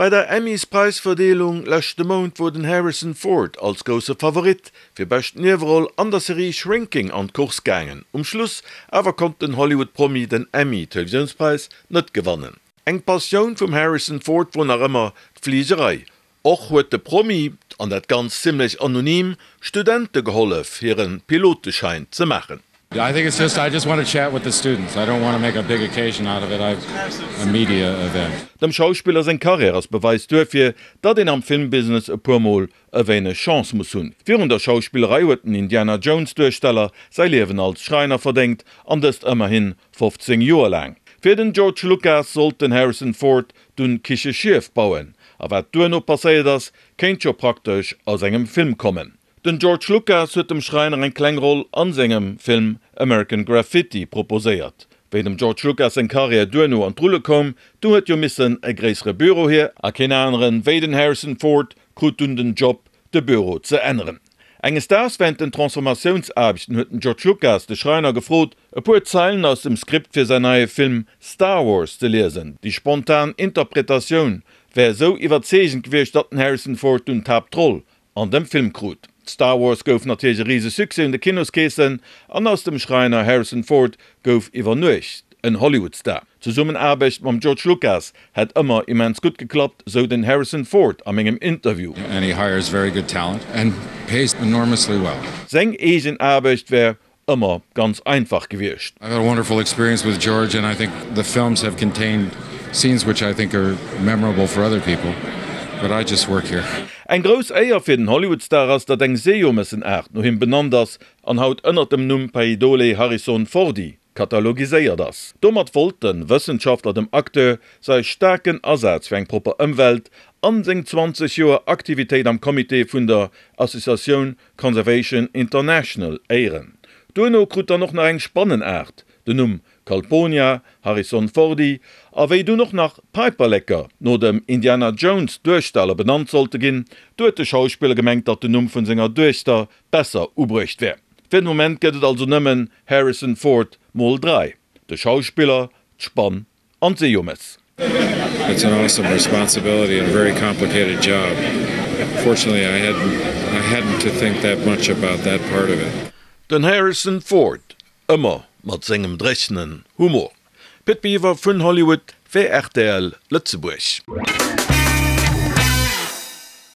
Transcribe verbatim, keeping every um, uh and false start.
Bei der Emmys-Präisverdeelung leschte Mount wor den Harrison Ford als grousse Favorit fir bescht Nieweroll an der Serie Shrinking an d'Course gaangen. Um Schluss awer konnt den Hollywood-Promi den Emmy-Televisiounspräis net gewannen. Eng Passioun vum Harrison Ford wor nach ëmmer d'Fligerei. Och huet de Promi, an dat Ganzt zimmlech anonym, Studente gehollef hire Piloteschäin ze maachen. I think it's just I just want to chat with the students. I don't want to make a big occasion out of it. I've a media event. Dem Schauspiller seng Karriär ass Beweis duerfir, datt een am Filmbusiness e puer Mol e wéineg Chance muss hunn. Virun der Schauspillerei huet den Indiana Jones Duersteller säi Liewen als Schräiner verdéngt, an dëst ëmmerhi fofzéng Joer laang. Fir den George Lucas sollt den Harrison Ford dunn Kicheschief bauen, a wat duerno passéiert ass, kéint scho praktesch aus engem Film kommen. Den George Lucas huet dem Schräiner eng kleng Roll an sengem Film American Graffiti proposéiert. Wéi dem George Lucas seng Karriär duerno an d'Rulle koum, du huet jo missen e gréissere Büro hier, a keen aneren wéi den Harrison Ford krut dunn den Job, de Büro ze änneren. Enges Daags wärend den Transformatiounsaarbechten huet den George Lucas de Schräiner gefrot, e puer Zeilen aus dem Skript fir säin neie Film Star Wars ze liesen. Déi spontan Interpretatioun wär esou iwwerzeegend gewiescht, datt den Harrison Ford dunn d'Haaptroll an dem Film krut. Star Wars gouf natierlech e rise Succès un de Kinoskeessen an aus dem Schräiner Harrison Ford gouf iwwer Nuecht en Hollywood-Star. D'Zesummenaarbecht mam George Lucas hätt ëmmer immens gutt geklappt, sou den Harrison Ford a mengem Interview. And he hires very good talent and pays enormously well. Seng eegen Aarbecht wär ëmmer ganz einfach gewiescht. I've had a wonderful experience with George and I think the films have contained scenes which I think are memorable for other people, but I just work here. Eng grouss Éier fir den Hollywood-Star ass, datt eng Seejomessenaart no him benannt ass an haut ënnert dem Numm Paidole harrisonfordi katalogiséiert ass. Domat wollte Wëssenschaftler dem Acteur säi staarken Asaz fir eng propper Ëmwelt an seng zwanzeg Joer Aktivitéit am Comité vun der Associatioun Conservation International éieren. Duerno krut dann och nach eng Spannenaart den Numm Calponia harrisonfordi, a wéi dunn och nach Päiperleker no dem Indiana Jones Duersteller benannt sollte ginn, du huet de Schauspiller gemengt, datt den Numm vun senger Duechter besser ubruecht wär. Fir den Moment gëtt et also nëmmen Harrison Ford mol dräi, de Schauspiller, d'Spann an d'Seejomess. It's an awesome responsibility and a very complicated job. Fortunately I hadn't I hadn't to think that much about that part of it. Den Harrison Ford, ëmmer mat sengem dréchenen Humor. Pit Biwer vun Hollywood fir rtl Lëtzebuerg.